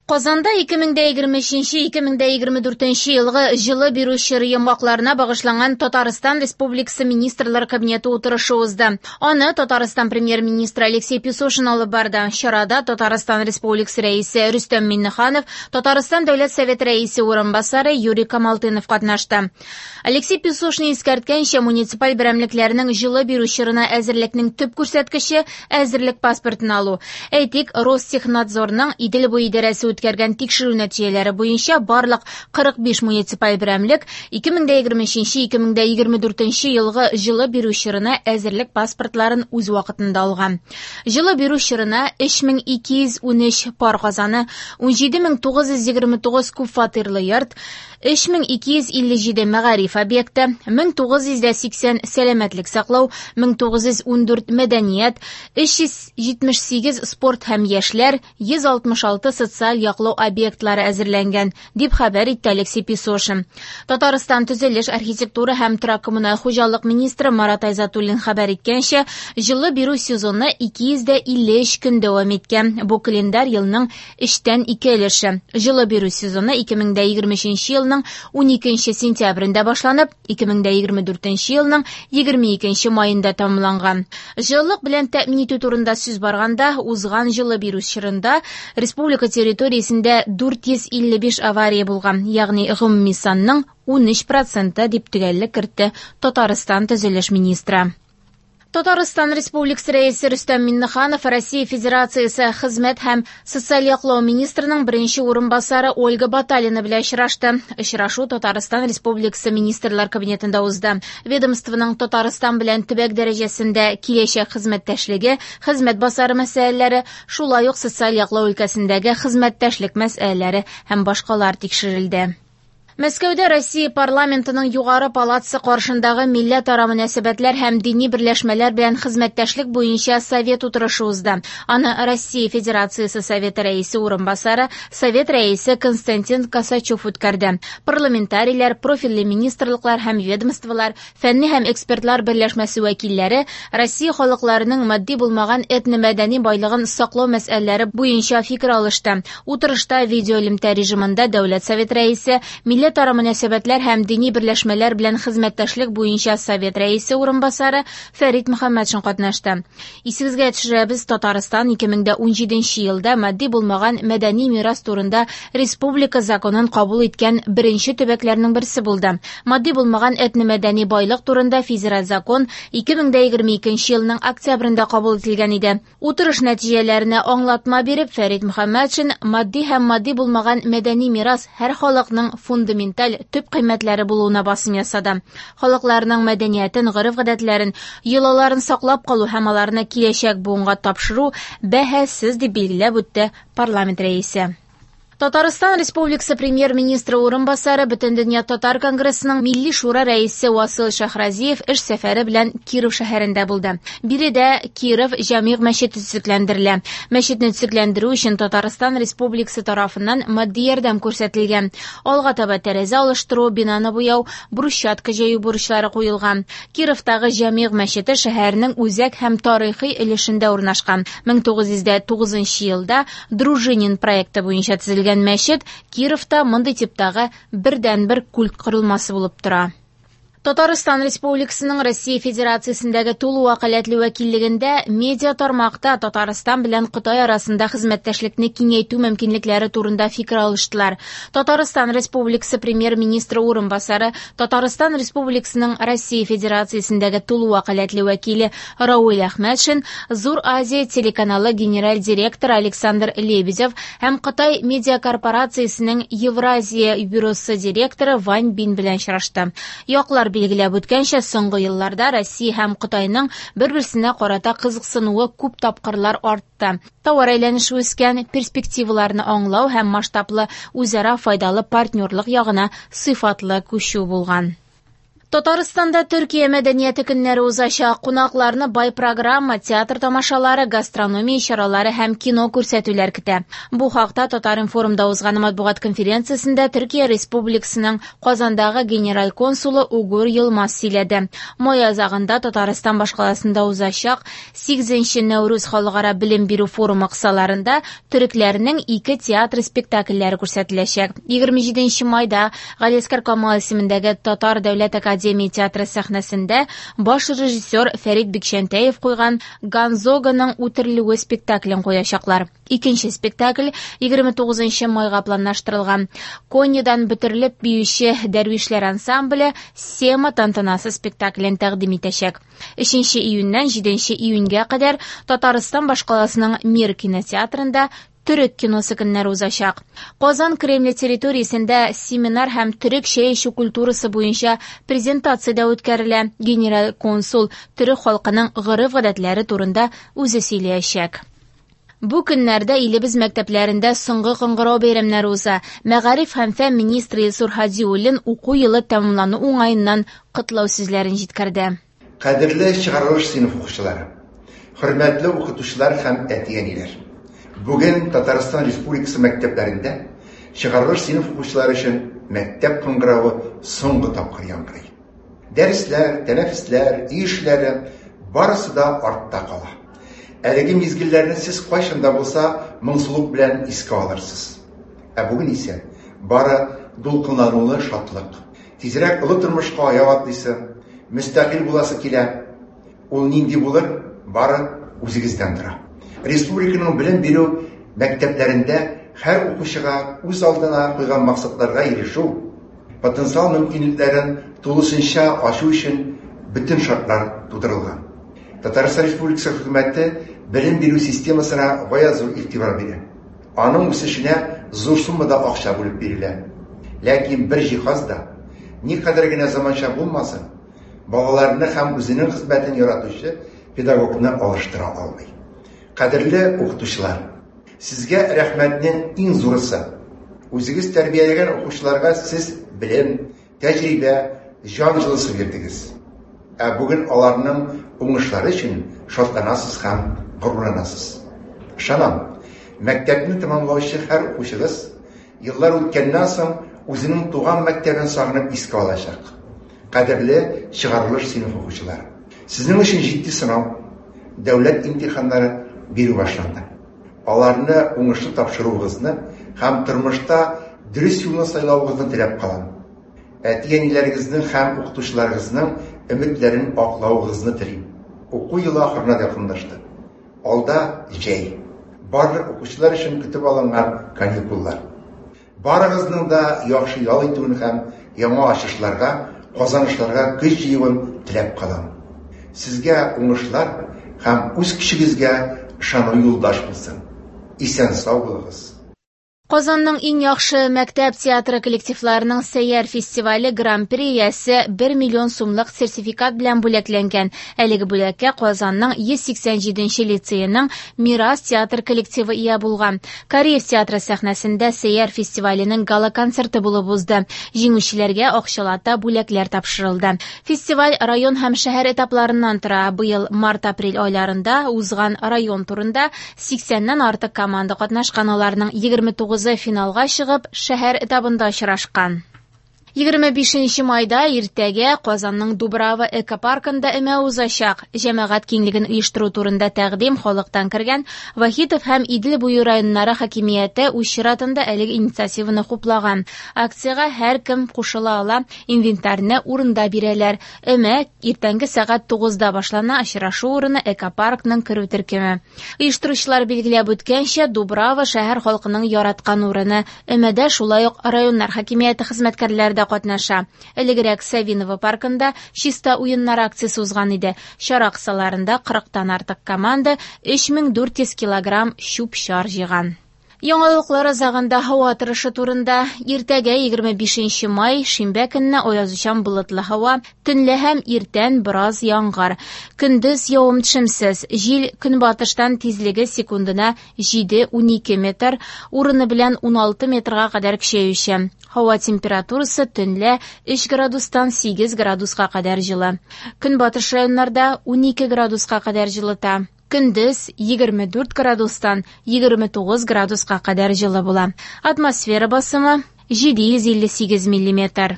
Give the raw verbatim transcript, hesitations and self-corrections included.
Казанда ике мең дә егерме өченче - ике мең дә егерме дүртенче елгы җылы бирү чоры йомгакларына багышланган Татарстан Республикасы Министрлар Кабинеты утырышы узды. Аны Татарстан премьер-министры Алексей Песошин алып барды. Чарада Татарстан Республикасы Рәисе Рөстәм Миңнеханов, Татарстан Дәүләт Советы Рәисе урынбасары Юрий Камалтынов катнашты. Алексей Песошин искәрткәнчә, муниципаль берәмлекләрнең җылы бирү чорына әзерлекнең төп күрсәткече әзерлек паспортын алу. Әйтик, Ростехнадзорның Идел буе идарәсе үткәргән тикшерү нәтиҗәләре буенча барлык кырык биш муниципаль берәмлек ике мең дә егерме өченче - ике мең дә егерме дүртенче елгы җылы бирү чорына әзерлек паспортларын үз вакытында алган. Җылы бирү чорына өч мең ике йөз унөч пар казаны, ун җиде мең тугыз йөз егерме тугыз күп фатирлы йорт, өч мең ике йөз илле җиде мәгариф объекты, мең тугыз йөз дә сиксән сәламәтлек саклау, мең тугыз йөз ундүрт мәдәният, өч йөз җитмеш сигез спорт һәм яшьләр, йөз алтмыш алты социаль яклау объектлары әзерләнгән, дип хәбәр итте Алексей Песошин. Татарстан төзелеш, архитектура һәм торак коммуналь хуҗалык министры Марат Айзатуллин хәбәр иткәнчә, җылы бирү сезоны ике йөз дә илле өч көн дәвам иткән. Бу календарь елның өчтән ике өлеше. Җылы бирү сезоны ике мең дә егерме өченче елның уникенче сентябрендә башланып, ике мең дә егерме дүртенче елның егерме икенче маенда тәмамланган. Җылылык белән тәэмин итү турында сүз барганда, узган җылы бирү чорында республика территориясендә дүрт йөз илле биш авария булган, ягъни гомуми санның унөч проценты дип төгәллек кертте Татарстан төзелеш министры. Татарстан Республикасы Рәисе Рөстәм Миңнеханов Россия Федерациясе Хезмәт һәм социаль яклау министрының беренче урынбасары Ольга Баталина белән очрашты. Очрашу Татарстан Республикасы Министрлар Кабинетында узды. Ведомствоның Татарстан белән төбәк дәрәҗәсендә киләчәк хезмәттәшлеге, хезмәт базары мәсьәләләре, шулай ук социаль яклау өлкәсендәге хезмәттәшлек мәсьәләләре һәм башкалар тикшерелде. Мәскәүдә Россия парламентының югары палатасы каршындагы милләтара мөнәсәбәтләр һәм дини берләшмәләр белән хезмәттәшлек буенча совет утырышы узды. Аны Россия Федерациясе Советы рәисе урынбасары, Совет рәисе Константин Косачев үткәрде. Парламентарийлар, профильле министрлыклар һәм ведомстволар, фәнни һәм экспертлар берләшмәсе вәкилләре Россия халыкларының матди булмаган этномәдәни байлыгын саклау мәсьәләләре буенча фикер алышты. Утырышта видеоэлемтә режимында Дәүләт Совет рәисе, милләтара мөнәсәбәтләр һәм дини берләшмәләр белән хезмәттәшлек буенча Совет рәисе урынбасары Фәрит Мөхәммәтшин катнашты. Исегезгә төшерәбез, Татарстан ике мең дә унҗиденче елда матди булмаган мәдәни мирас турында республика законын кабул иткән беренче төбәкләрнең берсе булды. Матди булмаган этномәдәни байлык турында федераль закон ике мең дә егерме икенче елның октябрендә кабул ителгән иде. Утырыш нәтиҗәләренә аңлатма биреп, Фәрит Мөхәммәтшин матди һәм матди булмаган мәдәни мирас һәр халыкның фундаменталь төп кыйммәтләре булуына басым ясады. Халыкларның мәдәниятен, гореф-гадәтләрен, йолаларын саклап калу һәм аларны киләчәк буынга тапшыру бәһасез дип билгеләп үтте парламент рәисе. Татарстан Республикасы премьер-министры урынбасары, Бөтендөнья татар конгрессының Милли шура рәисе Васил Шәһразиев эш сәфәре белән Киров шәһәрендә булды. Биредә Киров Җәмигъ мәчете төзекләндерелә. Мәчетне төзекләндерү өчен Татарстан Республикасы тарафыннан матди ярдәм күрсәтелгән. Алга таба тәрәзә алыштыру, бинаны буяу, брусчатка җәю бурычлары куелган. Кировтагы Җәмигъ мәчете шәһәрнең үзәк һәм тарихи өлешендә урнашкан. Мең тугыз йөз дә тугызынчы елда Дружинин проекты буенча төзелгән мәчет Кировта мондый типтагы бердәнбер культ корылмасы булып тора. Татарстан Республикасының Россия Федерациясендәге тулы вәкаләтле вәкиллегендә медиа тармакта Татарстан белән Кытай арасында хезмәттәшлекне киңәйтү мөмкинлекләре турында фикер алыштылар. Татарстан Республикасы премьер-министры урынбасары, Татарстан Республикасының Россия Федерациясендәге тулы вәкаләтле вәкиле Рауил Әхмәтшин, Зур Азия телеканалы генераль директоры Александр Лебедев һәм Кытай медиа корпорациясенең Евразия бюросы директоры Вань Бин белән очрашты. Яклар билгеләп үткәнчә, соңгы елларда Россия һәм Кытайның бер-берсенә карата кызыксынуы күп тапкырлар артты. Товар әйләнеше үскән, перспективаларны аңлау һәм масштаблы үзара файдалы партнерлык ягына сыйфатлы күчү булган. Татарстанда Төркия мәдәнияте көннәре узачак. Кунакларны бай программа, театр тамашалары, гастрономия чаралары һәм кино күрсәтүләр көтә. Бу хакта Татар-информда узган матбугат конференциясендә Төркия Республикасының Казандагы генераль консулы Угур Йылмаз сөйләде. Май азагында Татарстан башкаласында узачак сигезенче Нәүрүз халыкара белем бирү форумы кысаларында төрекләрнең ике театр спектакльләре күрсәтеләчәк. егерме җиденче майда Галиәсгар Камал исемендәге Татар дәүләт академиясе театры сәхнәсендә баш режиссер Фәрит Бикчәнтәев куйган Гонзаганың үтерелүе спектаклен куячаклар. Икенче спектакль егерме тугызынчы майга планлаштырылган. Коньядан бөтерелеп биюче дәрвишләр ансамбле Сема тантанасы спектаклен тәкъдим итәчәк. Өченче июньнән җиденче июньгә кадәр Татарстан башкаласының Мир кинотеатрында төрек киносы көннәре узачак. Казан Кремле территориясендә семинар һәм төрек чәй эчү культурасы буенча презентация дә үткәрелә. Генераль консул төрек халкының гореф-гадәтләре турында үзе сөйләячәк. Бу көннәрдә илебез мәктәпләрендә соңгы кыңгырау бәйрәмнәре уза. Мәгариф һәм фән министры Илсур Һадиуллин уку елы тәмамлану уңаеннан котлау сүзләрен җиткерде. Кадерле чыгарылыш сыйныф укучылары, хөрмәтле укытучылар һәм әти-әниләр. Бүген Татарстан Республикасы мәктәпләрендә чыгарылыш сыйныф укучылары өчен мәктәп кыңгыравы соңгы тапкыр яңгырый. Дәресләр, тәнәфесләр, өй эшләре барысы да артта кала. Әлеге мизгелләрне сез кайчан да булса моңсулык белән искә алырсыз. Ә бүген исә бары дулкынланулы шатлык. Тизрәк олы тормышка аяк атлыйсы, мөстәкыйль буласы килә. Ул нинди булыр, бары үзегездән тора. Республиканың белем бирү мәктәпләрендә һәр укучыга үз алдына куйган максатларга ирешү, потенциал мөмкинлекләрен тулысынча ачу өчен бөтен шартлар тудырылган. Татарстан Республикасы хөкүмәте белем бирү системасына гаять зур игътибар бирә. Аның үсешенә зур суммада акча бүлеп бирелә. Ләкин бер җиһаз да, никадәр генә заманча булмасын, балаларны һәм үзенең хезмәтен яратучы педагогны алыштыра алмый. Кадерле укытучылар, сезгә рәхмәтнең иң зурысы. Үзегез тәрбияләгән укучыларга сез белем, тәҗрибә, җан җылысы бирдегез. Ә бүген аларның уңышлары өчен шатланасыз һәм горурланасыз. Ышанам, мәктәпне тәмамлаучы һәр укучыгыз еллар үткәннән соң үзенең туган мәктәбен сагынып искә алачак. Кадерле чыгарылыш сыйныф укучылары, сезнең өчен җитди сынау, дәүләт имтиханнары бирү башланды. Аларны уңышлы тапшыруыгызны һәм тормышта дөрес юлны сайлавыгызны теләп калам. Әти-әниләрегезнең һәм укытучыларыгызның өметләрен аклавыгызны телим. Уку елы ахырына якынлашты. Алда җәй. Барлык укучылар өчен көтеп алынган каникуллар. Барыгызның да яхшы ял итүен һәм яңа ачышларга, казанышларга көч җыюын теләп калам. Сезгә уңышлар һәм үз көчегезгә ышану юлдаш булсын. Исән сау булыгыз. Казанның иң яхшы мәктәп театры коллективларының Сәйяр фестивале Гран-при иясе бер миллион сумлык сертификат белән бүләкләнгән. Әлеге бүләккә Казанның йөз сиксән җиденче лицееның Мирас театр коллективы ия булган. Кариев театры сәхнәсендә Сәйяр фестиваленең гала-концерты булып узды. Җиңүчеләргә акчалата бүләкләр тапшырылды. Фестиваль район һәм шәһәр этапларыннан тора. Быел март-апрель айларында узган район турында сиксәннән артык команда катнашкан, аларның егерме тугыз финалга чыгып, шәһәр этабында очрашкан. Егерме бишенче майда иртәгә Казанның Дубрава экопаркында өмә узачак. Җәмәгать киңлеген оештыру турында тәкъдим халыктан кергән. Вахитов һәм Идел буе районнары хакимияте үз чиратында әлеге инициативаны хуплаган. Акциягә һәркем кушыла ала, инвентарьны урында бирәләр. Өмә иртәнге сәгать тугызда башлана, очрашу урыны экопаркның керү төркеме. Оештыручылар билгеләп үткәнчә, Дубрава шәһәр халкының яраткан урыны. Өмәдә шулай ук районнар хакимияте хезмәткәрләре дә катнаша. Элегрәк Савиново паркында чиста уеннар акциясе узган иде. Чара кысаларында кырыктан артык команда өч мең дүрт йөз килограмм чүп-чар җыйган. Яңалыклар азагында һава торышы турында. Иртәгә егерме бишенче май, шимбә көнне аязучан болытлы һава, төнлә һәм иртән бераз яңгыр. Көндез явым-төшемсез, җил көнбатыштан тизлеге секундына җиде-унике метр, урыны белән уналты метрга кадәр көчәюче. Һава температурасы төнлә өч градустан сигез градуска кадәр җылы. Көнбатыш районнарда унике градуска кадәр җылыта. Көндез егерме дүрт градустан егерме тугыз градуска кадәр җылы була. Атмосфера басымы җиде йөз илле сигез миллиметр.